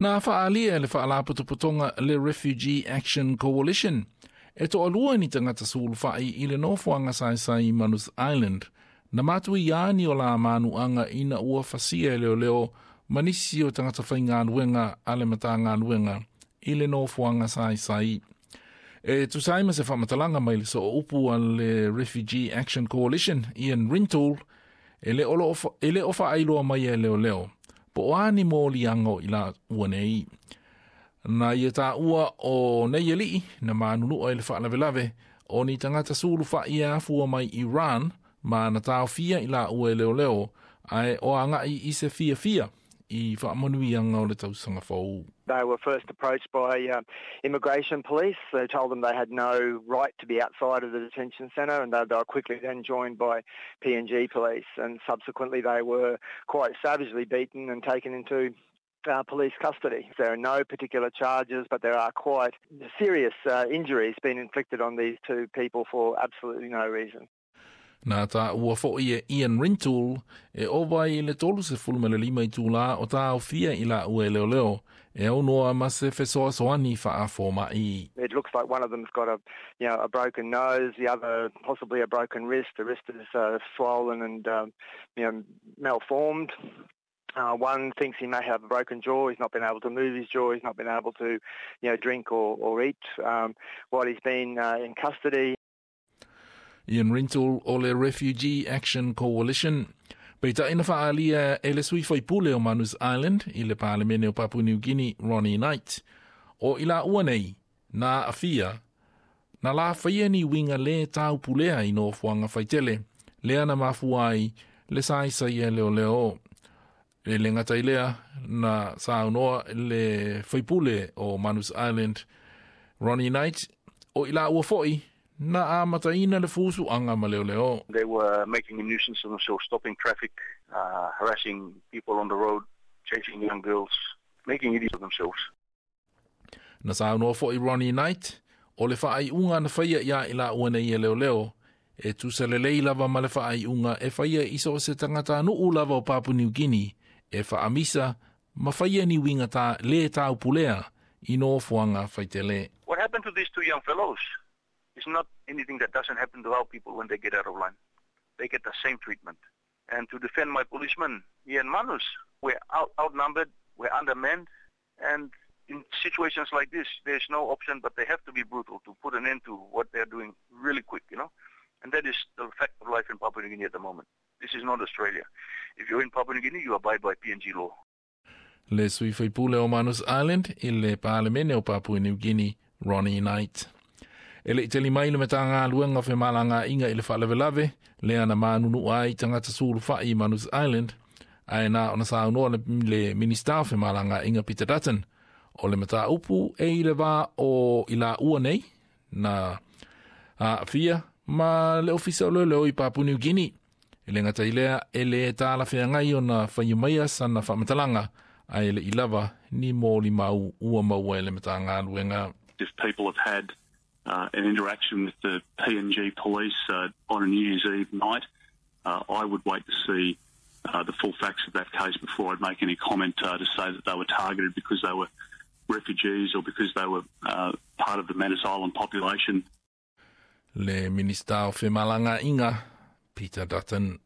Na fa'aalia e le fa'alapotopotoga le Refugee Action Coalition, e to'alua ni tagata sulufa'i i le nofoaga saesai i Manus Island, na matuiā ni o la manu'aga ina ua fasia e leoleo ma nisi o tagata faigaluega a le Matagaluega i le nofoaga saesai. E tusa ai ma se faamatalaga mai le sooupu a le Refugee Action Coalition, Ian Rintoul, e le o faailoa mai e leoleo, po o a ni moliaga o i laua nei. Na ia tāua o nei ali'i na manunua i le faalavelave o ni tagata sulufa'i e afua mai Iran ma na taofia i laua e leoleo ae o aga'i i se fiafia i faamanuiaga o le tausaga fou. They were first approached by immigration police. They told them they had no right to be outside of the detention centre, and they were quickly then joined by PNG police. And subsequently they were quite savagely beaten and taken into police custody. There are no particular charges, but there are quite serious injuries being inflicted on these two people for absolutely no reason. Na tāua fo'i e Ian Rintoul e ova i le 35 itulā o taofia i laua e leoleo e aunoa ma se fesoasoani fa'afoma'i. It looks like one of them's got a, you know, a broken nose, the other possibly a broken wrist. The wrist is swollen and malformed. One thinks he may have a broken jaw. He's not been able to move his jaw. He's not been able to drink or eat while he's been in custody. Ian Rintoul o le Refugee Action Coalition. Peitai na fa'aalia e le sui faipule o Manus Island i le Palemene o Papua New Guinea, Ronnie Knight. O i laua nei, na aafia, na la faia ni uiga lē taupulea i nofoaga faitele, lea na mafua ai le saisai e leoleo. E le gata i lea na saunoa le faipule o Manus Island, Ronnie Knight, o i laua fo'i, na amataina le fusu'aga ma leoleo. They were making a nuisance of themselves, stopping traffic, harassing people on the road, chasing young girls, making idiots of themselves. Na saunoa fo'i Ronnie Knight, o le faaiuga na faia ia i laua nei e leoleo, e tusa lelei lava ma le faaiuga e faia i so o se tagatanu'u lava o Papua New Guinea, e faamisa ma faia ni uiga ta lē taupulea i nofoaga faitele. What happened to these two young fellows is not anything that doesn't happen to our people when they get out of line. They get the same treatment. And to defend my policemen here in Manus, we're outnumbered, we're undermanned, and in situations like this, there's no option but they have to be brutal to put an end to what they're doing really quick. And that is the fact of life in Papua New Guinea at the moment. This is not Australia. If you're in Papua New Guinea, you abide by PNG law. Le sui faipule o Manus Island i le Palemene o Papua New Guinea, Ronnie Knight. E le i tali mai le Matagaluega o Femalagaaiga i le faalavelave, lea na manunua ai tagata sulufa'i i Manus Island, ae na ona saunoa le Minista o Femalagaaiga Peter Dutton, o le mataupu e i le vā o i laua nei, na aafia ma le ofisa o leoleo i Papua New Guinea. E le gata i lea e lē talafeagai ona faia maia sana faamatalaga, ae le i lava ni molimau ua maua e le Matagaluega. If people have had an interaction with the PNG police on a New Year's Eve night, I would wait to see the full facts of that case before I'd make any comment to say that they were targeted because they were refugees or because they were part of the Manus Island population. Le Minista o Femalagaaiga, Peter Dutton.